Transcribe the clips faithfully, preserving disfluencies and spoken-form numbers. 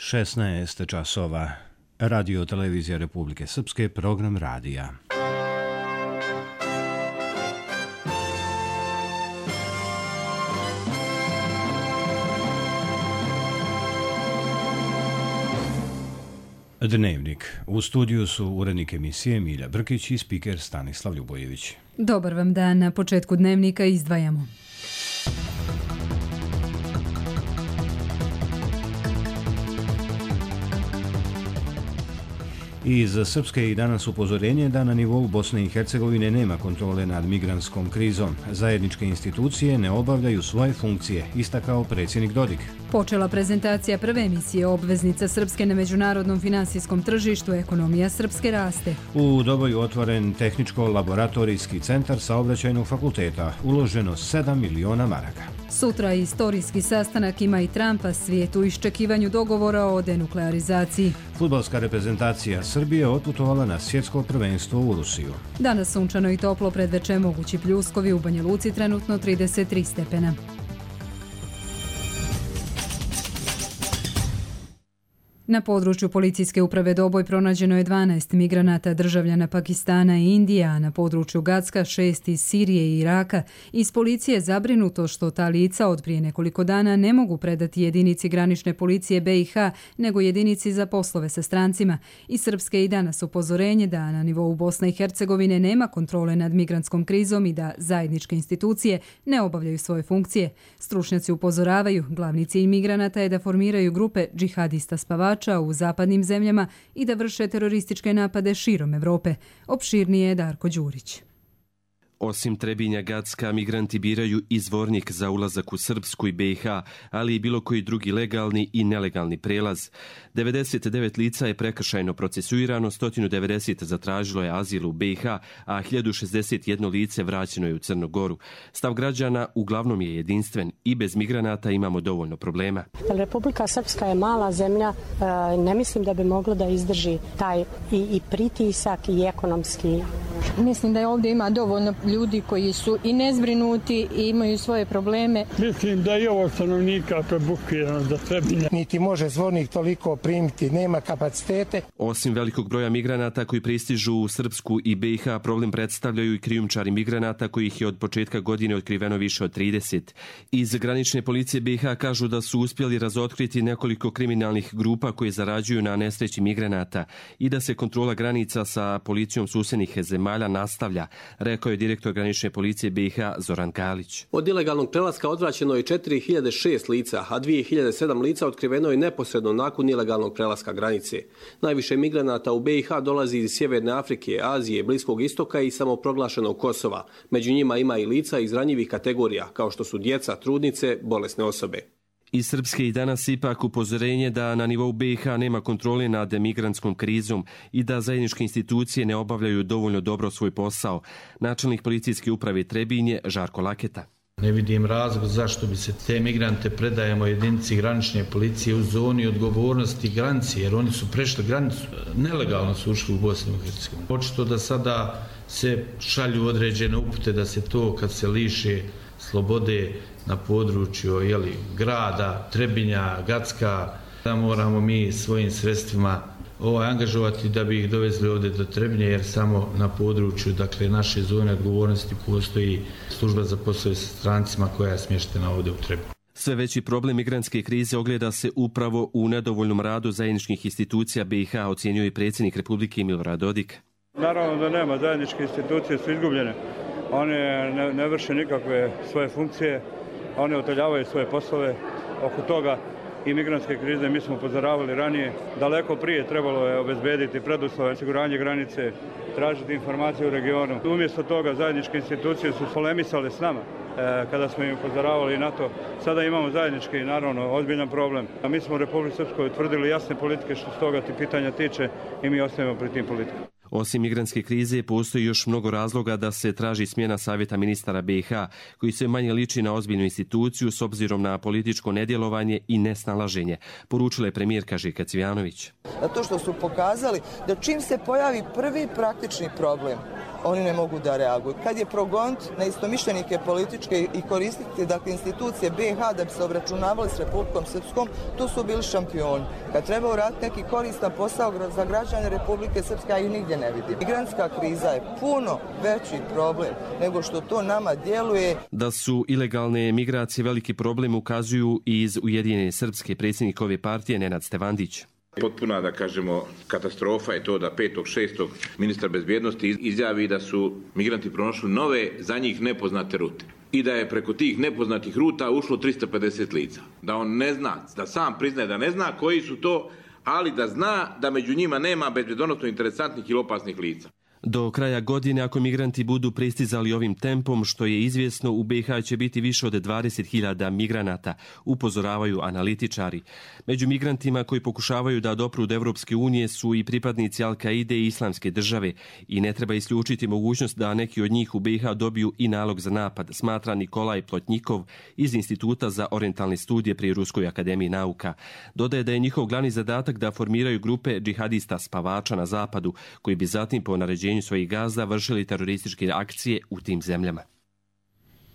šesnaest časova. Radio Televizija Republike Srpske, program radija. Dnevnik. U studiju su urednik emisije Milja Brkić i spiker Stanislav Ljubojević. Dobar vam dan. Na početku dnevnika izdvajamo. Iz Srpske i danas upozorenje da na nivou Bosne i Hercegovine nema kontrole nad migrantskom krizom. Zajedničke institucije ne obavljaju svoje funkcije, istakao predsjednik Dodik. Počela prezentacija prve emisije obveznica Srpske na međunarodnom finansijskom tržištu. Ekonomija Srpske raste. U Doboju otvoren tehničko-laboratorijski centar saobraćajnog fakulteta. Uloženo sedam miliona maraka. Sutra istorijski sastanak ima i Trumpa, svijet u iščekivanju dogovora o denuklearizaciji. Fudbalska reprezentacija Srbije otputovala na svjetsko prvenstvo u Rusiju. Danas sunčano i toplo, predveče mogući pljuskovi, u Banja Luci trenutno trideset tri stepena. Na području policijske uprave Doboj pronađeno je dvanaest migranata državljana Pakistana i Indije, a na području Gacka šest iz Sirije i Iraka. Iz policije zabrinuto što ta lica od prije nekoliko dana ne mogu predati jedinici granične policije B i H, nego jedinici za poslove sa strancima. Iz Srpske i danas upozorenje da na nivou Bosne i Hercegovine nema kontrole nad migrantskom krizom i da zajedničke institucije ne obavljaju svoje funkcije. Stručnjaci upozoravaju, glavni cilj migranata je da formiraju grupe džihadista spavača u zapadnim zemljama i da vrše terorističke napade širom Evrope. Opširnije je Darko Đurić. Osim Trebinja Gacka, migranti biraju izvornik za ulazak u Srpsku i B i H, ali i bilo koji drugi legalni i nelegalni prelaz. devedeset devet lica je prekršajno procesuirano, sto devedeset zatražilo je azil u B i H, a hiljadu šezdeset jedno lice vraćeno je u Crnu Goru. Stav građana uglavnom je jedinstven i bez migranata imamo dovoljno problema. Republika Srpska je mala zemlja, ne mislim da bi mogla da izdrži taj i, i pritisak i ekonomski. Mislim da je ovdje ima dovoljno ljudi koji su i nezbrinuti i imaju svoje probleme. Mislim da je ovo stanovnika prebukirano za Trebinje. Niti može zvornik toliko primiti, nema kapacitete. Osim velikog broja migranata koji pristižu u Srpsku i B i H, problem predstavljaju i krijumčari migranata kojih je od početka godine otkriveno više od trideset. Iz granične policije B i H kažu da su uspjeli razotkriti nekoliko kriminalnih grupa koje zarađuju na nesreći migranata i da se kontrola granica sa policijom susjednih zemalja nastavlja, rekao je direktor granične policije B i H Zoran Kalić. Od ilegalnog prelaska odvraćeno je četiri hiljade šest lica, a dvije hiljade sedam lica otkriveno je neposredno nakon ilegalnog prelaska granice. Najviše migranata u B i H dolazi iz Sjeverne Afrike, Azije, Bliskog istoka i samoproglašenog Kosova. Među njima ima i lica iz ranjivih kategorija, kao što su djeca, trudnice, bolesne osobe. Iz Srpske i danas ipak upozorenje da na nivou B i H nema kontrole nad migrantskom krizom i da zajedničke institucije ne obavljaju dovoljno dobro svoj posao. Načelnik policijske uprave Trebinje Žarko Laketa. Ne vidim razlog zašto bi se te migrante predajemo jedinici granične policije u zoni odgovornosti granice, jer oni su prešli granicu, nelegalno su ušli u Bosnu i Hercegovinu. Očito da sada se šalju određene upute da se to kad se liše slobode na području jeli, grada, Trebinja, Gacka, da moramo mi svojim sredstvima ovaj, angažovati da bi ih dovezli ovdje do Trebinja, jer samo na području dakle, naše zone odgovornosti postoji služba za poslove sa strancima koja je smještena ovdje u Trebinju. Sve veći problem migrantske krize ogleda se upravo u nedovoljnom radu zajedničkih institucija B i H, ocjenjuje i predsjednik Republike Milorad Dodik. Naravno da nema, zajedničke institucije su izgubljene. One ne, ne vrše nikakve svoje funkcije, one oteljavaju svoje poslove. Oko toga i migrantske krize mi smo upozoravali ranije. Daleko prije trebalo je obezbediti preduslove, osiguranje granice, tražiti informacije u regionu. Umjesto toga zajedničke institucije su polemisale s nama e, kada smo im upozoravali na to. Sada imamo zajednički, naravno, ozbiljan problem. A mi smo u Republici Srpskoj utvrdili jasne politike što se toga ti pitanja tiče i mi ostajemo pri tim politikama. Osim migrantske krize, postoji još mnogo razloga da se traži smjena savjeta ministara B i H, koji se manje liči na ozbiljnu instituciju s obzirom na političko nedjelovanje i nesnalaženje, poručila je premijerka Željka Cvijanović. To što su pokazali da čim se pojavi prvi praktični problem, oni ne mogu da reaguju. Kad je progonit na istomišljenike političke i koristiti dakle, institucije B i H da bi se obračunavali s Republikom Srpskom, tu su bili šampioni. Kad treba uraditi neki koristan posao za građane Republike Srpske, ja ih nigdje ne vidim. Migrantska kriza je puno veći problem nego što to nama djeluje. Da su ilegalne migracije veliki problem ukazuju i iz Ujedinjene Srpske predsjednikove partije Nenad Stevandić. Potpuna, da kažemo, katastrofa je to da petog šestog ministar bezbjednosti izjavi da su migranti pronašli nove, za njih nepoznate rute. I da je preko tih nepoznatih ruta ušlo tristo pedeset lica. Da on ne zna, da sam priznaje da ne zna koji su to, ali da zna da među njima nema bezbjedonosno interesantnih ili opasnih lica. Do kraja godine, ako migranti budu pristizali ovim tempom, što je izvjesno, u B i H će biti više od dvadeset hiljada migranata, upozoravaju analitičari. Među migrantima koji pokušavaju da dopru do Evropske unije su i pripadnici Al-Kaide i Islamske države i ne treba isključiti mogućnost da neki od njih u B i H dobiju i nalog za napad, smatra Nikolaj Plotnjikov iz Instituta za orijentalne studije pri Ruskoj akademiji nauka. Dodaje da je njihov glavni zadatak da formiraju grupe džihadista spavača na zapadu, koji bi zatim po naređenju svojih gazda vršili terorističke akcije u tim zemljama.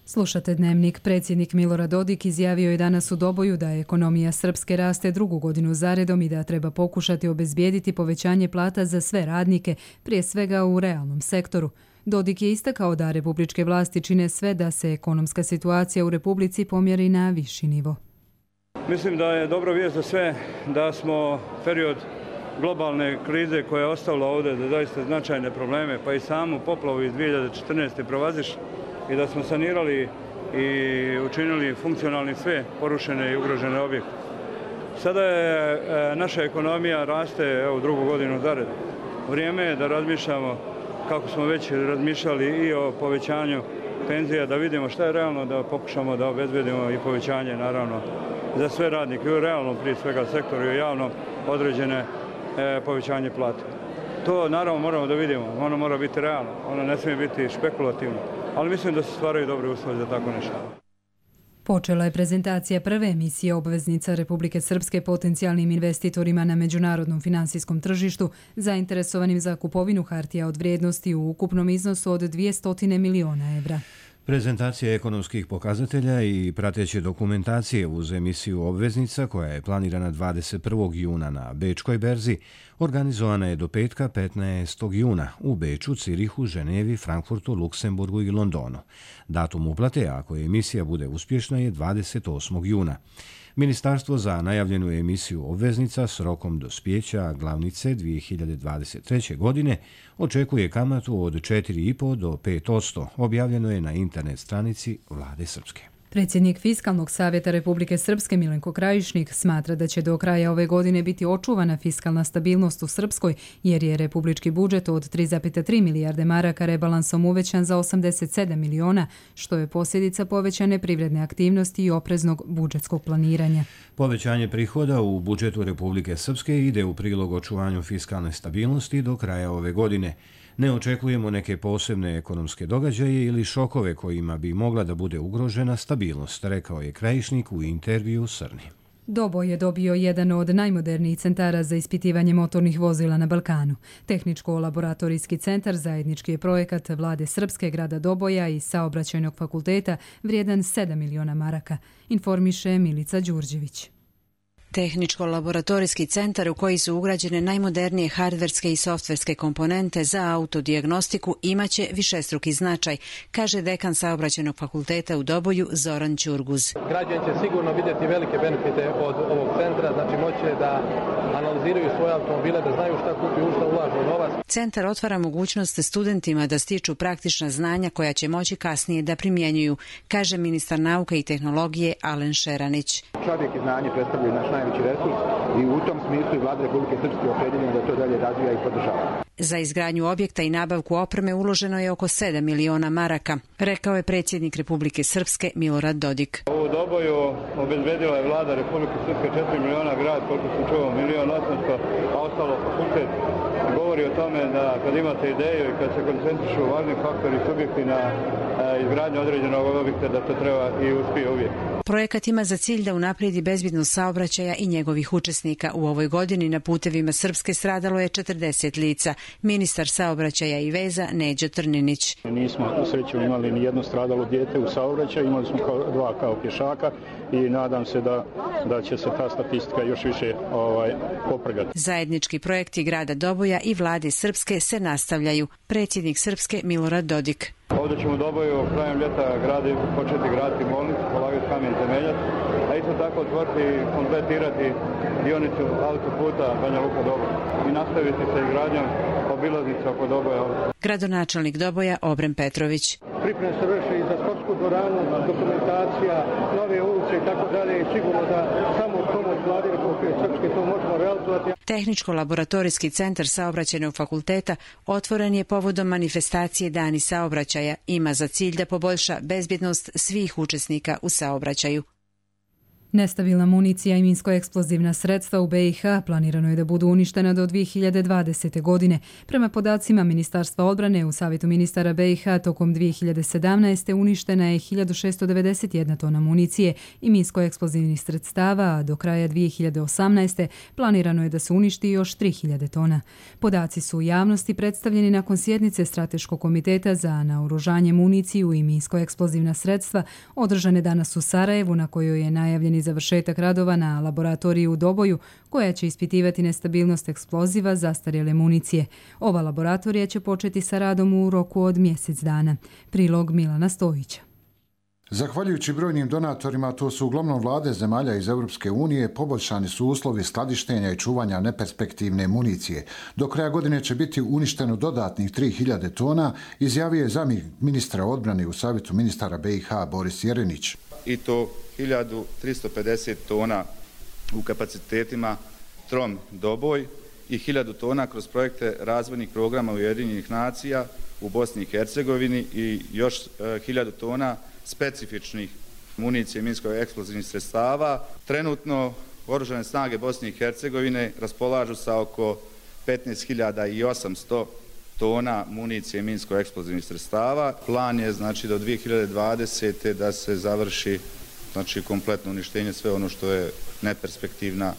Slušate Dnevnik. Predsjednik Milorad Dodik izjavio je danas u Doboju da ekonomija Srpske raste drugu godinu zaredom i da treba pokušati obezbijediti povećanje plata za sve radnike, prije svega u realnom sektoru. Dodik je istakao da republičke vlasti čine sve da se ekonomska situacija u Republici pomjeri na viši nivo. Mislim da je dobra vijest za sve da smo period globalne krize koja je ostavila ovdje da zaista značajne probleme, pa i samu poplavu iz dvije hiljade četrnaeste. provaziš i da smo sanirali i učinili funkcionalni sve porušene i ugrožene objekte. Sada je e, naša ekonomija raste evo, drugu godinu zared. Vrijeme je da razmišljamo kako smo već razmišljali i o povećanju penzija, da vidimo šta je realno, da pokušamo da obezbedimo i povećanje naravno za sve radnike i u realnom prije svega sektoru i u javnom određene povećanje plate. To naravno moramo da vidimo, ono mora biti realno, ono ne smije biti špekulativno, ali mislim da se stvaraju dobre uslovi za tako nešto. Počela je prezentacija prve emisije obveznica Republike Srpske potencijalnim investitorima na međunarodnom finansijskom tržištu zainteresovanim za kupovinu hartija od vrijednosti u ukupnom iznosu od dvjesto miliona evra. Prezentacija ekonomskih pokazatelja i prateće dokumentacije uz emisiju obveznica koja je planirana dvadeset prvog juna na Bečkoj berzi organizovana je do petka petnaestog juna u Beču, Cirihu, Ženevi, Frankfurtu, Luksemburgu i Londonu. Datum uplate, ako emisija bude uspješna, je dvadeset osmog juna. Ministarstvo za najavljenu emisiju obveznica s rokom dospijeća glavnice dvije hiljade dvadeset treće. godine očekuje kamatu od četiri i po do pet posto, objavljeno je na internet stranici Vlade Srpske. Predsjednik Fiskalnog savjeta Republike Srpske Milenko Krajišnik smatra da će do kraja ove godine biti očuvana fiskalna stabilnost u Srpskoj, jer je republički budžet od tri zarez tri milijarde maraka rebalansom uvećan za osamdeset sedam miliona, što je posljedica povećane privredne aktivnosti i opreznog budžetskog planiranja. Povećanje prihoda u budžetu Republike Srpske ide u prilog očuvanju fiskalne stabilnosti do kraja ove godine. Ne očekujemo neke posebne ekonomske događaje ili šokove kojima bi mogla da bude ugrožena stabilnost, rekao je Krajišnik u intervju Srni. Doboj je dobio jedan od najmodernijih centara za ispitivanje motornih vozila na Balkanu. Tehničko-laboratorijski centar zajednički je projekat Vlade Srpske, grada Doboja i Saobraćajnog fakulteta vrijedan sedam miliona maraka, informiše Milica Đurđević. Tehničko-laboratorijski centar u koji su ugrađene najmodernije hardverske i softverske komponente za autodijagnostiku imaće višestruki značaj, kaže dekan Saobraćajnog fakulteta u Doboju Zoran Ćurguz. Građani će sigurno vidjeti velike benefite od ovog centra, znači moće da analiziraju svoje automobile, da znaju šta kupi, u šta ulažu novac. Centar otvara mogućnost studentima da stiču praktična znanja koja će moći kasnije da primjenjuju, kaže ministar nauke i tehnologije Alen Šeranić. Čovjek i znanje predstavljaju naš najveći resurs i u tom smislu i Vlada Republike Srpske opredeljena da to dalje razvija i podržava. Za izgradnju objekta i nabavku opreme uloženo je oko sedam miliona maraka, rekao je predsjednik Republike Srpske Milorad Dodik. U Doboju obezbedila je Vlada Republike Srpske četiri miliona, grad, koliko se čuo, milion osamsto, a ostalo fakultet govori o tome da kad imate ideju i kad se koncentrišu važni faktori subjekti na izgradnju određenog objekta, da to treba i uspije uvijek. Projekat ima za cilj da unaprijedi bezbednost saobraćaja i njegovih učesnika. U ovoj godini na putevima Srpske stradalo je četrdeset lica. Ministar saobraćaja i veza Neđo Trninić. Nismo u sreću imali ni jedno stradalo dijete u saobraćaju, imali smo kao, dva kao pješaka i nadam se da, da će se ta statistika još više ovaj, poprgati. Zajednički projekti grada Doboja i vlade Srpske se nastavljaju. Predsjednik Srpske Milorad Dodik. Ovdje ćemo u Doboju krajem ljeta gradi, početi graditi bolnicu, polagati kamen temeljac, a isto tako otvoriti i kompletirati dionicu autoputa Banja Luka Doboj i nastaviti sa izgradnjom obilaznice oko Doboja. Gradonačelnik Doboja Obren Petrović. Pripreme se vrši i za sportsku dvoranu, dokumentacija, nove ulice i tako dalje i sigurno da samo pomoć vlade Republike Srpske to možemo realizovati. Tehničko-laboratorijski centar Saobraćajnog fakulteta otvoren je povodom manifestacije Dani saobraćaja. Ima za cilj da poboljša bezbjednost svih učesnika u saobraćaju. Nestabilna municija i minsko-eksplozivna sredstva u B i H planirano je da budu uništena do dvije hiljade dvadesete. godine. Prema podacima Ministarstva odbrane u Savjetu ministara B i H tokom dvije hiljade sedamnaeste. uništena je hiljadu šesto devedeset jedna tona municije i minsko-eksplozivnih sredstava, a do kraja dvije hiljade osamnaeste. planirano je da se uništi još tri hiljade tona. Podaci su u javnosti predstavljeni nakon sjednice Strateškog komiteta za naoružanje, municiju i minsko-eksplozivna sredstva održane danas u Sarajevu, na kojoj je najavljeni završetak radova na laboratoriji u Doboju, koja će ispitivati nestabilnost eksploziva zastarjele municije. Ova laboratorija će početi sa radom u roku od mjesec dana. Prilog Milana Stojića. Zahvaljujući brojnim donatorima, to su uglavnom vlade zemalja iz Europske unije, poboljšani su uslovi skladištenja i čuvanja neperspektivne municije. Do kraja godine će biti uništeno dodatnih tri hiljade tona, izjavio je zamjenik ministra odbrane u Savjetu ministara B i H Boris Jerenić. I to hiljadu tristo pedeset tona u kapacitetima Trom Doboj i hiljadu tona kroz projekte razvojnih programa Ujedinjenih nacija u Bosni i Hercegovini i još hiljadu tona specifičnih municije minsko-eksplozivnih sredstava. Trenutno Oružane snage Bosne i Hercegovine raspolažu sa oko petnaest hiljada osamsto tona municije minsko-eksplozivnih sredstava. Plan je znači do dvije hiljade dvadesete. da se završi znači kompletno uništenje sve ono što je neperspektivna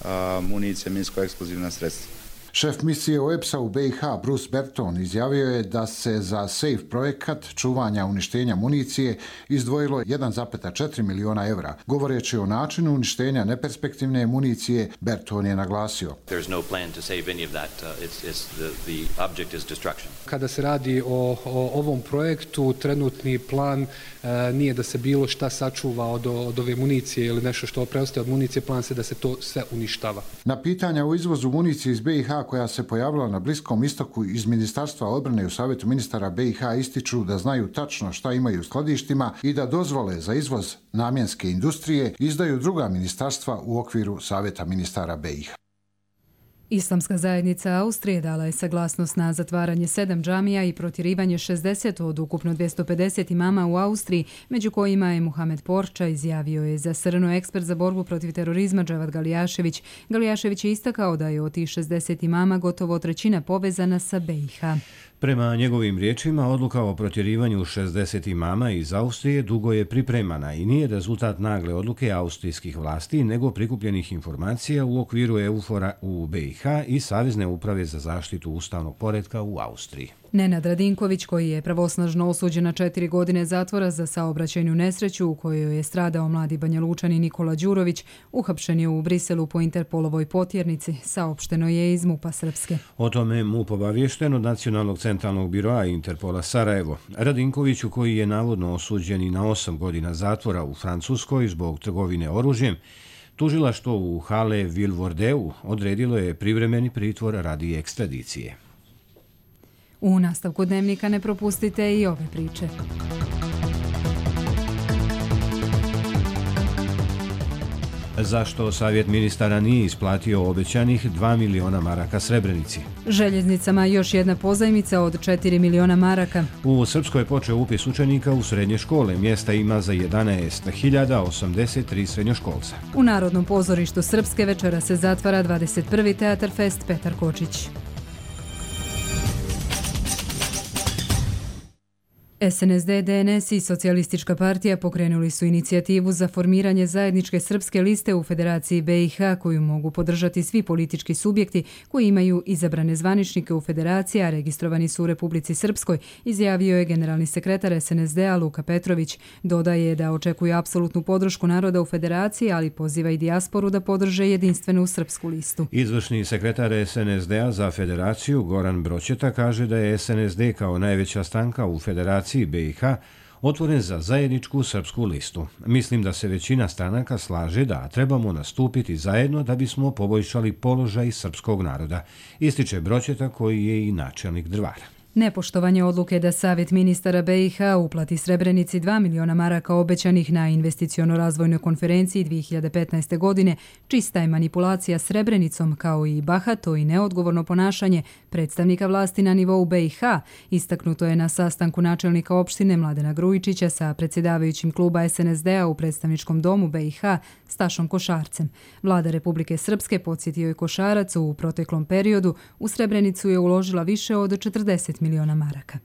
a, municija minsko-eksplozivna sredstva. Šef misije O E P S-a u B i H Bruce Berton izjavio je da se za SAFE projekat čuvanja uništenja municije izdvojilo jedan zarez četiri miliona evra. Govoreći o načinu uništenja neperspektivne municije, Berton je naglasio. Kada se radi o, o ovom projektu, trenutni plan e, nije da se bilo šta sačuva od, od ove municije ili nešto što preostaje od municije, plan se da se to sve uništava. Na pitanja o izvozu municije iz B i H koja se pojavila na Bliskom istoku iz Ministarstva odbrane u Savjetu ministara B i H ističu da znaju tačno šta imaju u skladištima i da dozvole za izvoz namjenske industrije izdaju druga ministarstva u okviru Savjeta ministara B i H. Islamska zajednica Austrije dala je saglasnost na zatvaranje sedam džamija i protjerivanje šezdeset od ukupno dvjesto pedeset imama u Austriji, među kojima je Muhamed Porča, izjavio je za S R N ekspert za borbu protiv terorizma Džavad Galijašević. Galijašević je istakao da je od tih šezdeset imama gotovo trećina povezana sa B i H. Prema njegovim riječima, odluka o protjerivanju šezdeset imama iz Austrije dugo je pripremana i nije rezultat nagle odluke austrijskih vlasti, nego prikupljenih informacija u okviru EUFOR-a u B i H i Savezne uprave za zaštitu ustavnog poretka u Austriji. Nenad Radinković, koji je pravosnažno osuđen na četiri godine zatvora za saobraćajnu nesreću u kojoj je stradao mladi Banjalučanin Nikola Đurović, uhapšen je u Briselu po Interpolovoj potjernici, saopšteno je iz MUP-a Srpske. O tome MUP obaviješten od Nacionalnog centralnog biroa Interpola Sarajevo. Radinkoviću, koji je navodno osuđen i na osam godina zatvora u Francuskoj zbog trgovine oružjem, tužilaštvo u Halle-Vilvoordeu odredilo je privremeni pritvor radi ekstradicije. U nastavku dnevnika ne propustite i ove priče. Zašto Savjet ministara nije isplatio obećanih dva miliona maraka Srebrenici? Željeznicama još jedna pozajmica od četiri miliona maraka. U Srpskoj je počeo upis učenika u srednje škole. Mjesta ima za jedanaest hiljada osamdeset tri srednjoškolca. U Narodnom pozorištu Srpske večera se zatvara dvadeset prvi Teatar Fest Petar Kočić. S N S D, D N S i Socijalistička partija pokrenuli su inicijativu za formiranje zajedničke srpske liste u Federaciji B i H koju mogu podržati svi politički subjekti koji imaju izabrane zvaničnike u Federaciji, a registrovani su u Republici Srpskoj, izjavio je generalni sekretar S N S D-a Luka Petrović. Dodaje da očekuje apsolutnu podršku naroda u Federaciji, ali poziva i dijasporu da podrže jedinstvenu srpsku listu. Izvršni sekretar S N S D-a za Federaciju Goran Broćeta kaže da je S N S D kao najveća stranka u Federaciji B i H otvoren za zajedničku srpsku listu. Mislim da se većina stranaka slaže da trebamo nastupiti zajedno da bismo poboljšali položaj srpskog naroda, ističe Broćeta koji je i načelnik Drvara. Nepoštovanje odluke da Savjet ministara B i H uplati Srebrenici dva miliona maraka obećanih na investiciono-razvojnoj konferenciji dvije hiljade petnaeste. godine čista je manipulacija Srebrenicom kao i bahato i neodgovorno ponašanje predstavnika vlasti na nivou B i H, istaknuto je na sastanku načelnika opštine Mladena Grujičića sa predsjedavajućim kluba S N S D-a u predstavničkom domu B i H Stašom Košarcem. Vlada Republike Srpske, podsjetio je Košarac, u proteklom periodu u Srebrenicu je uložila više od četrdeset miliona maraka.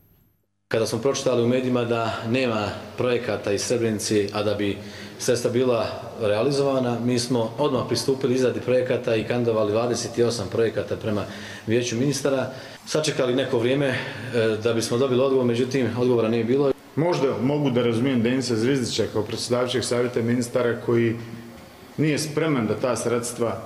Kada smo pročitali u medijima da nema projekata iz Srebrenici, a da bi sredstva bila realizovana, mi smo odmah pristupili izradi projekata i kandidovali dvadeset osam projekata prema vijeću ministara. Sačekali neko vrijeme da bismo dobili odgovor, međutim odgovora nije bilo. Možda mogu da razumijem Denisa Zvizdića kao predsjedavajućeg savjeta ministara koji nije spreman da ta sredstva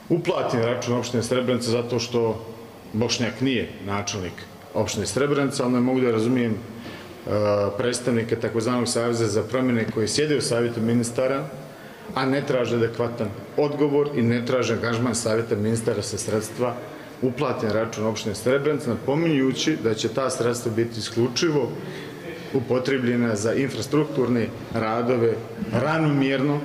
uplati na račun opštine Srebrenica zato što Bošnjak nije načelnik opštine Srebrenica, ali ne mogu da razumijem uh, predstavnike takozvanog Saveza za promjene koji sjede u savjetu ministara, a ne traže adekvatan odgovor i ne traže angažman savjeta ministara sa sredstva uplati na račun opštine Srebrenica, napominjući da će ta sredstva biti isključivo upotrebljena za infrastrukturne radove ravnomjerno.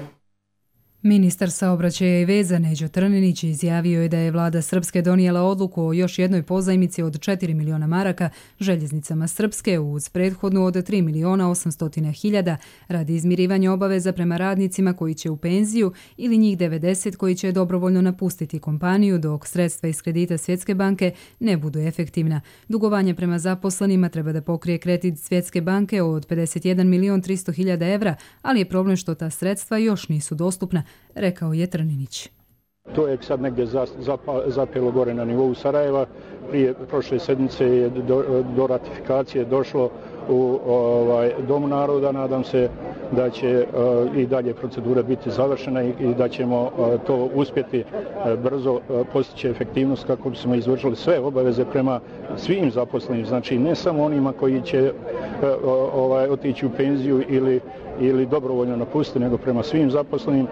Ministar saobraćaja i veza Neđo Trninić izjavio je da je vlada Srpske donijela odluku o još jednoj pozajmici od četiri miliona maraka željeznicama Srpske uz prethodnu od tri miliona osamsto hiljada radi izmirivanja obaveza prema radnicima koji će u penziju ili njih devedeset koji će dobrovoljno napustiti kompaniju dok sredstva iz kredita Svjetske banke ne budu efektivna. Dugovanje prema zaposlenima treba da pokrije kredit Svjetske banke od pedeset jedan milion tristo hiljada evra, ali je problem što ta sredstva još nisu dostupna, rekao je Trninić. To je sad negdje zapelo gore na nivou Sarajeva. Prije prošle sedmice je do, do ratifikacije došlo u ovaj, Dom naroda. Nadam se da će uh, i dalje procedura biti završena i, i da ćemo uh, to uspjeti uh, brzo uh, postići efektivnost kako bismo izvršili sve obaveze prema svim zaposlenim. Znači ne samo onima koji će uh, ovaj, otići u penziju ili ili dobrovoljno napustiti, nego prema svim zaposlenim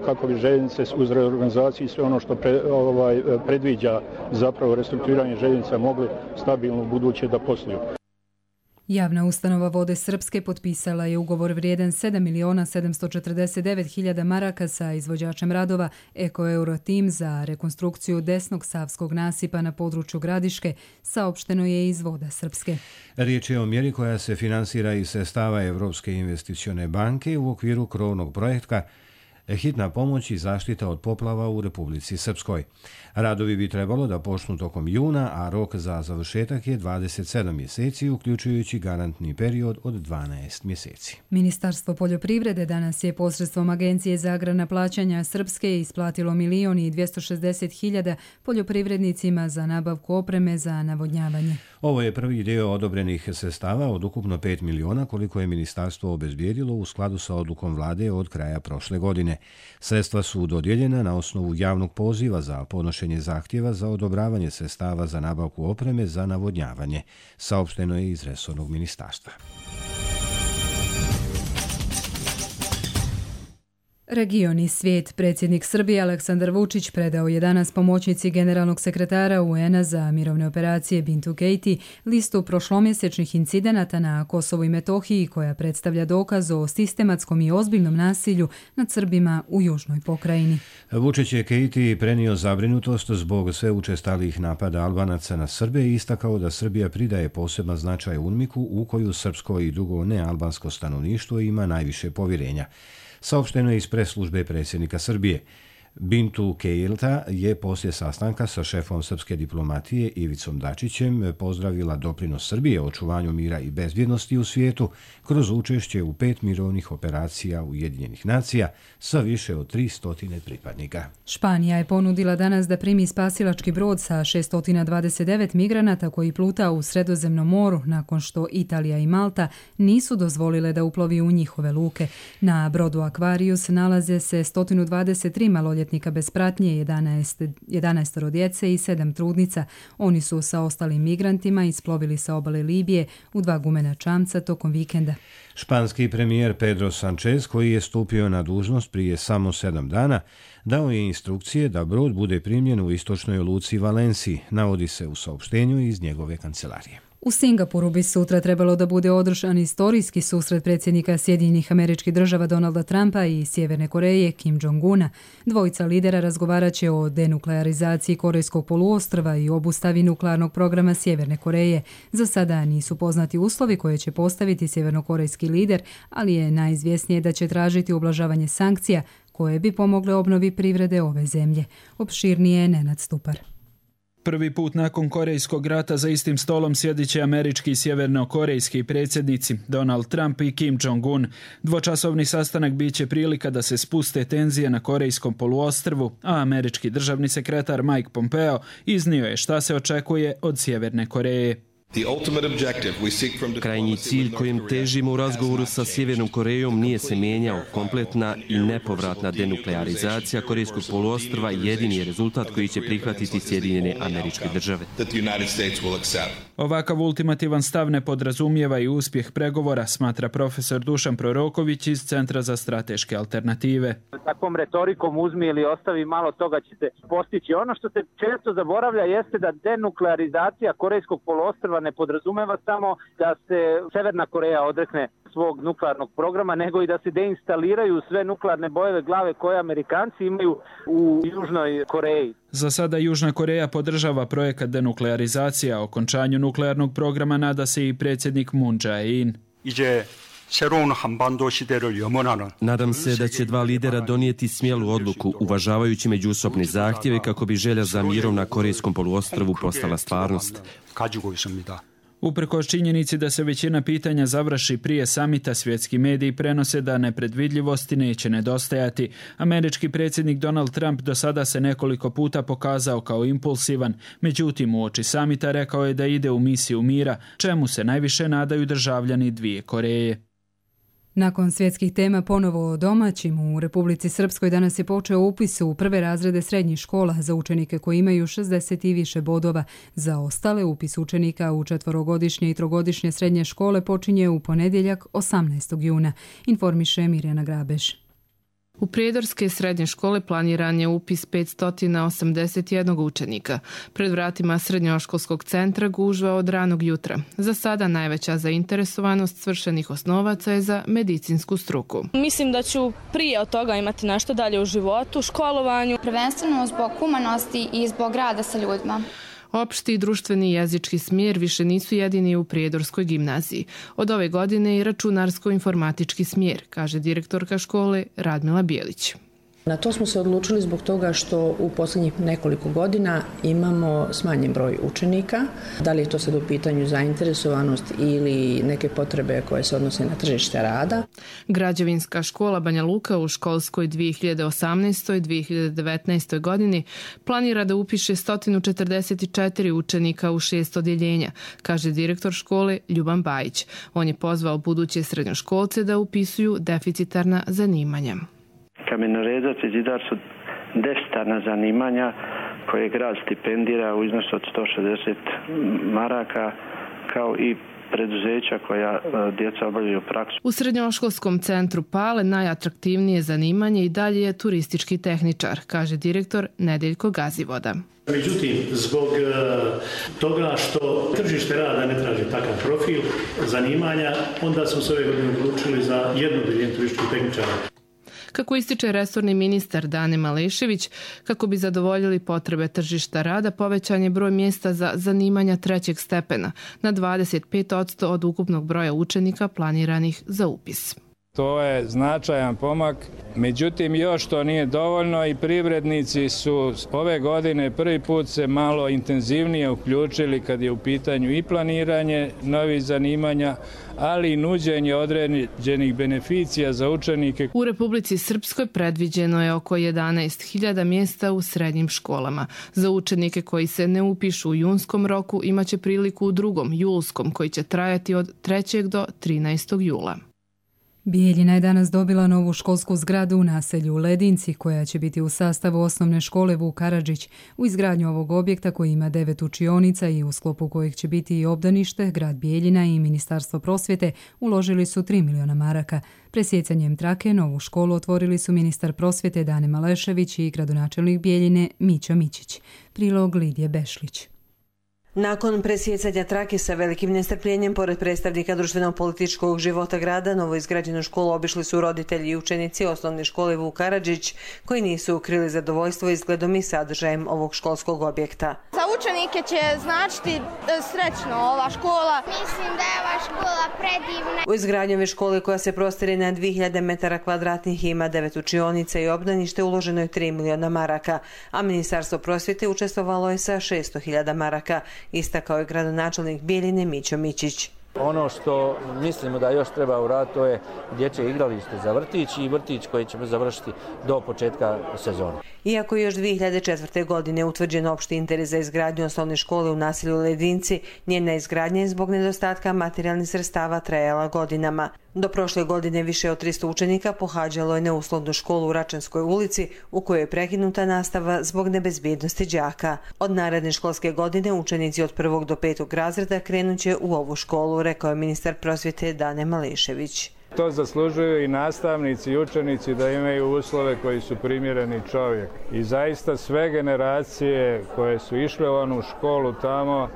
kako bi željeznice uz reorganizaciju i sve ono što pre, ovaj, predviđa zapravo restrukturiranje željeznica mogli stabilno buduće da posluju. Javna ustanova Vode Srpske potpisala je ugovor vrijedan sedam miliona sedamsto četrdeset devet hiljada maraka sa izvođačem radova Eko Euro Tim za rekonstrukciju desnog savskog nasipa na području Gradiške, saopšteno je iz Voda Srpske. Riječ je o mjeri koja se finansira iz sredstava Evropske investicione banke u okviru krovnog projekta Hitna pomoć i zaštita od poplava u Republici Srpskoj. Radovi bi trebalo da počnu tokom juna, a rok za završetak je dvadeset sedam mjeseci, uključujući garantni period od dvanaest mjeseci. Ministarstvo poljoprivrede danas je posredstvom Agencije za agrarna plaćanja Srpske isplatilo milion i dvjesto šezdeset hiljada poljoprivrednicima za nabavku opreme za navodnjavanje. Ovo je prvi dio odobrenih sredstava od ukupno pet miliona koliko je ministarstvo obezbijedilo u skladu sa odlukom vlade od kraja prošle godine. Sredstva su dodijeljena na osnovu javnog poziva za podnošenje zahtjeva za odobravanje sredstava za nabavku opreme za navodnjavanje, saopšteno je iz resornog ministarstva. Region i svijet. Predsjednik Srbije Aleksandar Vučić predao je danas pomoćnici generalnog sekretara U N-a za mirovne operacije Bintu Keiti listu prošlomjesečnih incidenata na Kosovu i Metohiji koja predstavlja dokaz o sistematskom i ozbiljnom nasilju nad Srbima u južnoj pokrajini. Vučić je Keiti prenio zabrinutost zbog sve učestalih napada Albanaca na Srbe i istakao da Srbija pridaje poseban značaj UNMIK-u u koju srpsko i drugo nealbansko stanovništvo ima najviše povjerenja. Saopšteno je iz pres službe predsjednika Srbije. Bintu Keilta je poslije sastanka sa šefom srpske diplomatije Ivicom Dačićem pozdravila doprinos Srbije očuvanju mira i bezbjednosti u svijetu kroz učešće u pet mirovnih operacija Ujedinjenih nacija sa više od tristo pripadnika. Španija je ponudila danas da primi spasilački brod sa šesto dvadeset devet migranata koji pluta u Sredozemnom moru nakon što Italija i Malta nisu dozvolile da uplovi u njihove luke. Na brodu Aquarius nalaze se sto dvadeset tri maloljetnika bez pratnje, jedanaest, jedanaest djece i sedam trudnica. Oni su sa ostalim migrantima isplovili sa obale Libije u dva gumena čamca tokom vikenda. Španski premijer Pedro Sanchez, koji je stupio na dužnost prije samo sedam dana, dao je instrukcije da brod bude primljen u istočnoj luci Valenciji, navodi se u saopštenju iz njegove kancelarije. U Singapuru bi sutra trebalo da bude održan istorijski susret predsjednika Sjedinjenih Američkih Država Donalda Trumpa i Sjeverne Koreje Kim Jong-una. Dvojica lidera razgovarat će o denuklearizaciji Korejskog poluostrva i obustavi nuklearnog programa Sjeverne Koreje. Za sada nisu poznati uslovi koje će postaviti sjevernokorejski lider, ali je najizvjesnije da će tražiti ublažavanje sankcija koje bi pomogle obnovi privrede ove zemlje. Opširnije je Nenad Stupar. Prvi put nakon Korejskog rata za istim stolom sjedit će američki i sjevernokorejski predsjednici Donald Trump i Kim Jong-un. Dvočasovni sastanak bit će prilika da se spuste tenzije na Korejskom poluostrvu, a američki državni sekretar Mike Pompeo iznio je šta se očekuje od Sjeverne Koreje. Krajnji cilj kojem težimo u razgovoru sa Sjevernom Korejom nije se mijenjao. Kompletna i nepovratna denuklearizacija Korejskog poluostrva jedini je rezultat koji će prihvatiti Sjedinjene Američke Države. Ovakav ultimativan stav ne podrazumijeva i uspjeh pregovora, smatra profesor Dušan Proroković iz Centra za strateške alternative. Takvom retorikom uzmi ili ostavi malo toga će se postići. Ono što se često zaboravlja jeste da denuklearizacija Korejskog poluostrva ne podrazumeva samo da se Severna Koreja odrekne svog nuklearnog programa, nego i da se deinstaliraju sve nuklearne bojeve glave koje Amerikanci imaju u Južnoj Koreji. Za sada Južna Koreja podržava projekat denuklearizacije, a okončanju nuklearnog programa nada se i predsjednik Moon Jae-in. Nadam se da će dva lidera donijeti smjelu odluku, uvažavajući međusobne zahtjeve kako bi želja za mirom na Korejskom poluostrvu postala stvarnost. Uprkos činjenici da se većina pitanja završi prije samita, svjetski mediji prenose da nepredvidljivosti neće nedostajati. Američki predsjednik Donald Trump do sada se nekoliko puta pokazao kao impulsivan, međutim uoči samita rekao je da ide u misiju mira, čemu se najviše nadaju državljani dvije Koreje. Nakon svjetskih tema ponovo o domaćim, u Republici Srpskoj danas je počeo upis u prve razrede srednjih škola za učenike koji imaju šezdeset i više bodova. Za ostale upis učenika u četvorogodišnje i trogodišnje srednje škole počinje u ponedjeljak osamnaestog juna, informiše Mirjana Grabeš. U prijedorske srednje škole planiran je upis petsto osamdeset jedan učenika. Pred vratima srednjoškolskog centra gužva od ranog jutra. Za sada najveća zainteresovanost svršenih osnovaca je za medicinsku struku. Mislim da ću prije od toga imati nešto dalje u životu, školovanju. Prvenstveno zbog humanosti i zbog rada sa ljudima. Opšti i društveni jezički smjer više nisu jedini u Prijedorskoj gimnaziji. Od ove godine i računarsko-informatički smjer, kaže direktorka škole Radmila Bijelić. Na to smo se odlučili zbog toga što u posljednjih nekoliko godina imamo smanjen broj učenika. Da li je to sad u pitanju zainteresovanost ili neke potrebe koje se odnose na tržište rada. Građevinska škola Banja Luka u školskoj dvije hiljade osamnaestoj dvije hiljade devetnaestoj godini planira da upiše sto četrdeset četiri učenika u šest odjeljenja, kaže direktor škole Ljuban Bajić. On je pozvao buduće srednjoškolce da upisuju deficitarna zanimanja. Kamenorezac i zidar su deficitarna zanimanja koje grad stipendira u iznosu od sto šezdeset maraka, kao i preduzeća koja djeca obavljaju praksu. U srednjoškolskom centru Pale najatraktivnije zanimanje i dalje je turistički tehničar, kaže direktor Nedeljko Gazivoda. Međutim, zbog toga što tržište rada ne traži takav profil zanimanja, onda smo se ove godine odlučili za jedno odjeljenje turističkih tehničara. Kako ističe resorni ministar Dane Malešević, kako bi zadovoljili potrebe tržišta rada, povećan je broj mjesta za zanimanja trećeg stepena na dvadeset pet posto od ukupnog broja učenika planiranih za upis. To je značajan pomak, međutim još to nije dovoljno i privrednici su ove godine prvi put se malo intenzivnije uključili kad je u pitanju i planiranje novih zanimanja, ali i nuđenje određenih beneficija za učenike. U Republici Srpskoj predviđeno je oko jedanaest hiljada mjesta u srednjim školama. Za učenike koji se ne upišu u junskom roku imaće priliku u drugom, julskom, koji će trajati od trećeg do trinaestog jula. Bijeljina je danas dobila novu školsku zgradu u naselju Ledinci, koja će biti u sastavu osnovne škole Vuk Karadžić. U izgradnju ovog objekta, koji ima devet učionica i u sklopu kojih će biti i obdanište, grad Bijeljina i Ministarstvo prosvjete uložili su tri miliona maraka. Presjecanjem trake novu školu otvorili su ministar prosvjete Dane Malešević i gradonačelnik Bijeljine Mićo Mićić. Prilog Lidije Bešlić. Nakon presjecanja trake sa velikim nestrpljenjem, pored predstavnika društveno-političkog života grada, novoizgrađenu školu obišli su roditelji i učenici osnovne škole Vuk Karadžić, koji nisu ukrili zadovoljstvo izgledom i sadržajem ovog školskog objekta. Za učenike će značiti srećno ova škola. Mislim da je ova škola predivna. U izgradnju ove škole, koja se prostire na dvije hiljade metara kvadratnih i ima devet učionica i obdanište, uloženo je tri miliona maraka, a Ministarstvo prosvjete učestvovalo je sa šesto hiljada maraka. Istakao je gradonačelnik Bijeljine Mićo Mićić. Ono što mislimo da još treba uraditi, to je dječje igralište za vrtić i vrtić koji ćemo završiti do početka sezone. Iako je još dvije hiljade četvrte. godine utvrđen opšti interes za izgradnju osnovne škole u naselju Ledinci, njena izgradnja je zbog nedostatka materijalnih sredstava trajala godinama. Do prošle godine više od tristo učenika pohađalo je neuslovnu školu u Račanskoj ulici, u kojoj je prekinuta nastava zbog nebezbjednosti đaka. Od naredne školske godine učenici od prvog do petog razreda krenut će u ovu školu, rekao je ministar prosvjete Dane Malešević. To zaslužuju i nastavnici i učenici da imaju uslove koji su primjereni čovjek. I zaista sve generacije koje su išle u onu školu tamo,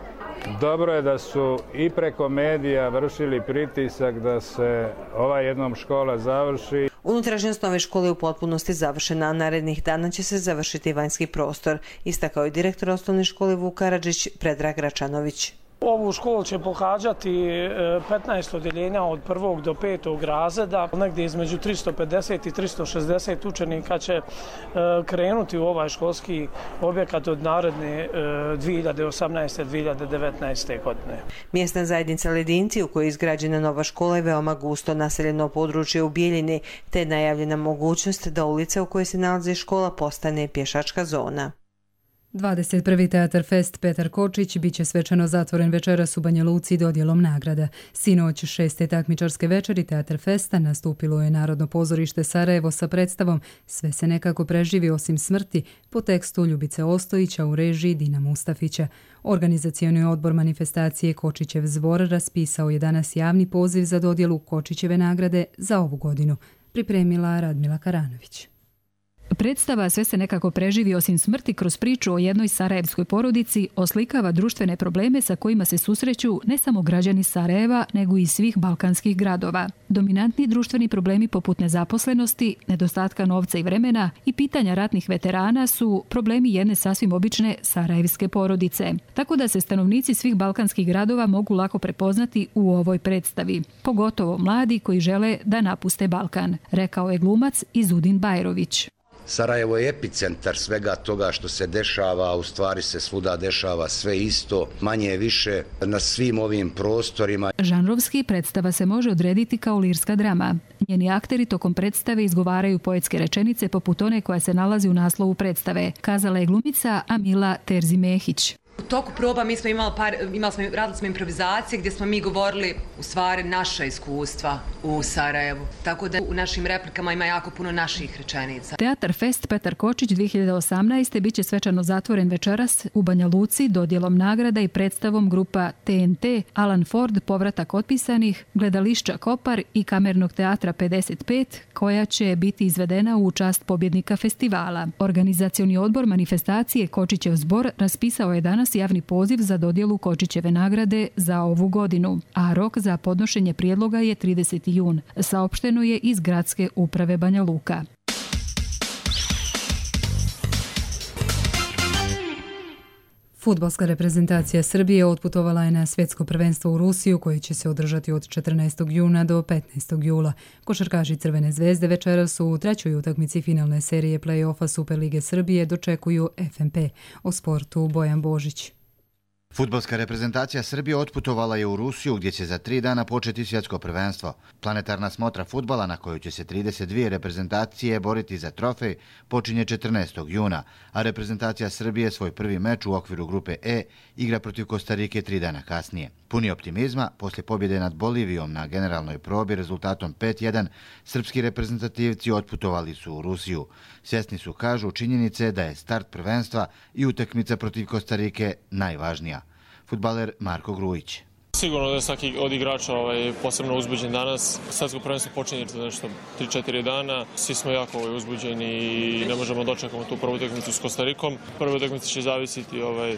dobro je da su i preko medija vršili pritisak da se ova jednom škola završi. Unutrašnjost nove škole je u potpunosti završena, a narednih dana će se završiti vanjski prostor, istakao je direktor osnovne škole Vuk Karadžić Predrag Račanović. Ovu školu će pohađati petnaest odjeljenja od prvog do petog razreda. Negdje između tristo pedeset i tristo šezdeset učenika će krenuti u ovaj školski objekat od naredne dvije hiljade osamnaeste. dvije hiljade devetnaeste. godine. Mjesna zajednica Ledinci, u kojoj je izgrađena nova škola, je veoma gusto naseljeno područje u Bijeljini, te je najavljena mogućnost da ulica u kojoj se nalazi škola postane pješačka zona. dvadeset prvi Teatar Fest Petar Kočić biće svečano zatvoren večeras u Banja Luci dodjelom nagrada. Sinoć šeste takmičarske večeri Teatar Festa nastupilo je Narodno pozorište Sarajevo sa predstavom Sve se nekako preživi osim smrti po tekstu Ljubice Ostojića u režiji Dina Mustafića. Organizacioni odbor manifestacije Kočićev zbor raspisao je danas javni poziv za dodjelu Kočićeve nagrade za ovu godinu. Pripremila Radmila Karanović. Predstava Sve se nekako preživi osim smrti kroz priču o jednoj sarajevskoj porodici oslikava društvene probleme sa kojima se susreću ne samo građani Sarajeva, nego i svih balkanskih gradova. Dominantni društveni problemi poput nezaposlenosti, nedostatka novca i vremena i pitanja ratnih veterana su problemi jedne sasvim obične sarajevske porodice. Tako da se stanovnici svih balkanskih gradova mogu lako prepoznati u ovoj predstavi, pogotovo mladi koji žele da napuste Balkan, rekao je glumac Izudin Bajrović. Sarajevo je epicentar svega toga što se dešava, a u stvari se svuda dešava sve isto, manje više na svim ovim prostorima. Žanrovski predstava se može odrediti kao lirska drama. Njeni akteri tokom predstave izgovaraju poetske rečenice poput one koja se nalazi u naslovu predstave, kazala je glumica Amila Terzi-Mehić. U toku proba mi smo imali par, imali smo, radili smo improvizacije gdje smo mi govorili u stvari naša iskustva u Sarajevu. Tako da u našim replikama ima jako puno naših rečenica. Teatar Fest Petar Kočić dvije hiljade osamnaeste. biće svečano zatvoren večeras u Banja Luci dodjelom nagrada i predstavom grupa T N T, Alan Ford, Povratak otpisanih, Gledališća Kopar i Kamernog teatra pedeset pet, koja će biti izvedena u čast pobjednika festivala. Organizacioni odbor manifestacije Kočićev zbor raspisao je danas javni poziv za dodjelu Kočićeve nagrade za ovu godinu, a rok za podnošenje prijedloga je trideseti jun, saopšteno je iz Gradske uprave Banja Luka. Fudbalska reprezentacija Srbije otputovala je na svjetsko prvenstvo u Rusiju koje će se održati od četrnaestog juna do petnaestog jula. Košarkaši Crvene zvezde večeras u trećoj utakmici finalne serije play-offa Superlige Srbije dočekuju F M P. O sportu Bojan Božić. Fudbalska reprezentacija Srbije otputovala je u Rusiju gdje će za tri dana početi svjetsko prvenstvo. Planetarna smotra fudbala na kojoj će se trideset dvije reprezentacije boriti za trofej počinje četrnaestog juna, a reprezentacija Srbije svoj prvi meč u okviru grupe E igra protiv Kostarike tri dana kasnije. Puni optimizma, poslije pobjede nad Bolivijom na generalnoj probi rezultatom pet jedan, srpski reprezentativci otputovali su u Rusiju. Svjesni su, kažu, činjenice da je start prvenstva i utakmica protiv Kostarike najvažnija. Fudbaler Marko Grujić. Sigurno da je svaki od igrača ovaj, posebno uzbuđen danas. Svetsko prvenstvo počinje za nešto tri četiri dana. Svi smo jako ovaj, uzbuđeni i ne možemo dočekati tu prvu utakmicu s Kostarikom. Prva utakmica će zavisiti, ovaj,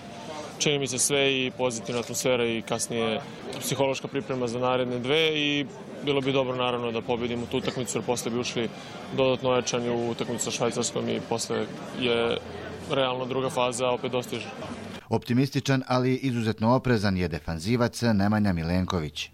čini mi se, sve i pozitivna atmosfera i kasnije psihološka priprema za naredne dve i bilo bi dobro naravno da pobjedimo tu utakmicu jer posle bi ušli dodatno ojačani u utakmicu sa Švajcarskom i posle je realno druga faza opet dostiže. Optimističan, ali izuzetno oprezan je defanzivac Nemanja Milenković.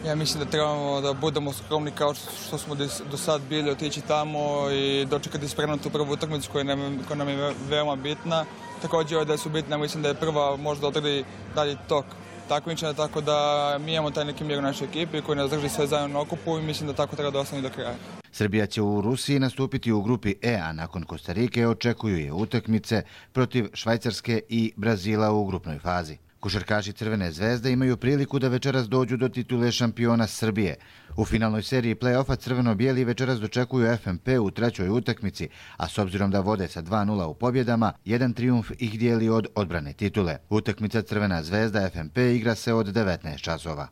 Ja mislim da trebamo da budemo skromni kao što smo do sad bili, otići tamo i dočekati spremno tu prvu utakmicu koja nam, koja nam je veoma bitna. Također da su bitne, mislim da je prva možda odredi dalji tok takmičenja, tako da mi imamo taj neki mir u našoj ekipi koji nas drži sve zajedno na okupu i mislim da tako treba da ostane do kraja. Srbija će u Rusiji nastupiti u grupi E, a nakon Kostarike očekuju je utakmice protiv Švajcarske i Brazila u grupnoj fazi. Košarkaši Crvene zvezde imaju priliku da večeras dođu do titule šampiona Srbije. U finalnoj seriji play-offa crveno-bijeli večeras dočekuju F M P u trećoj utakmici, a s obzirom da vode sa dva nula u pobjedama, jedan trijumf ih dijeli od odbrane titule. Utakmica Crvena zvezda F M P igra se od devetnaest časova.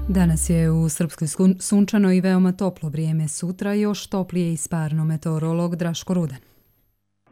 Danas je u Srpskoj sunčano i veoma toplo vrijeme, sutra još toplije i sparno. Meteorolog Draško Rudan.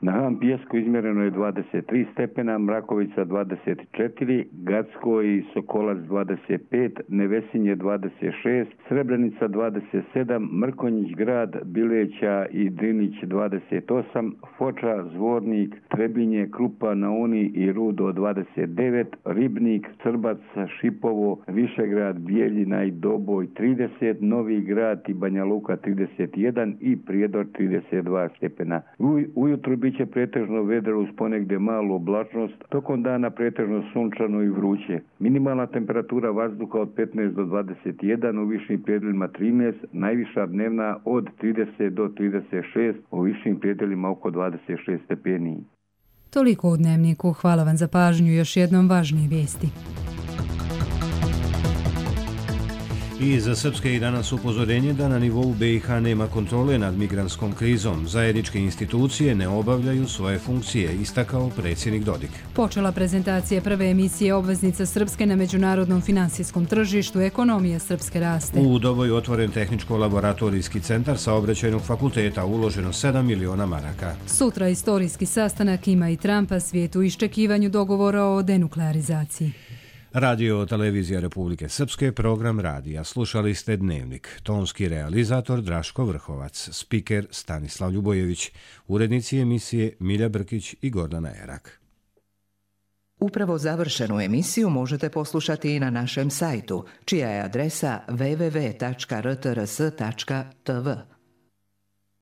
Na Havan Pijesku izmjereno je dvadeset tri stepena, Mrakovica dvadeset četiri, Gacko i Sokolac dvadeset pet, Nevesinje dvadeset šest, Srebrenica dvadeset sedam, Mrkonjić grad, Bileća i Drinić dvadeset osam, Foča, Zvornik, Trebinje, Krupa, Nauni i Rudo dvadeset devet, Ribnik, Crbac, Šipovo, Višegrad, Bijeljina i Doboj trideset, Novi grad i Banja Luka trideset jedan i Prijedor trideset dva stepena. U, ujutru bi biće pretežno vedro uz ponegdje malu oblačnost, tokom dana pretežno sunčano i vruće. Minimalna temperatura vazduha od petnaest do dvadeset jedan, u višim predjelima trinaest, najviša dnevna od trideset do trideset šest, u višim predjelima oko dvadeset šest stepeni. Toliko u Dnevniku. Hvala vam za pažnju. Još jednom važnije vijesti. I za srpske i danas upozorenje da na nivou B i H nema kontrole nad migrantskom krizom. Zajedničke institucije ne obavljaju svoje funkcije, istakao predsjednik Dodik. Počela prezentacija prve emisije obveznica Srpske na međunarodnom finansijskom tržištu. Ekonomija Srpske raste. U Doboju otvoren tehničko-laboratorijski centar Saobraćajnog fakulteta, uloženo sedam miliona maraka. Sutra istorijski sastanak ima i Trumpa, svijet u iščekivanju dogovora o denuklearizaciji. Radio Televizija Republike Srpske, program radija. Slušali ste Dnevnik. Tonski realizator Draško Vrhovac, spiker Stanislav Ljubojević, urednici emisije Milja Brkić i Gordana Erak. Upravo završenu emisiju možete poslušati i na našem sajtu, čija je adresa w w w tačka r t r s tačka t v.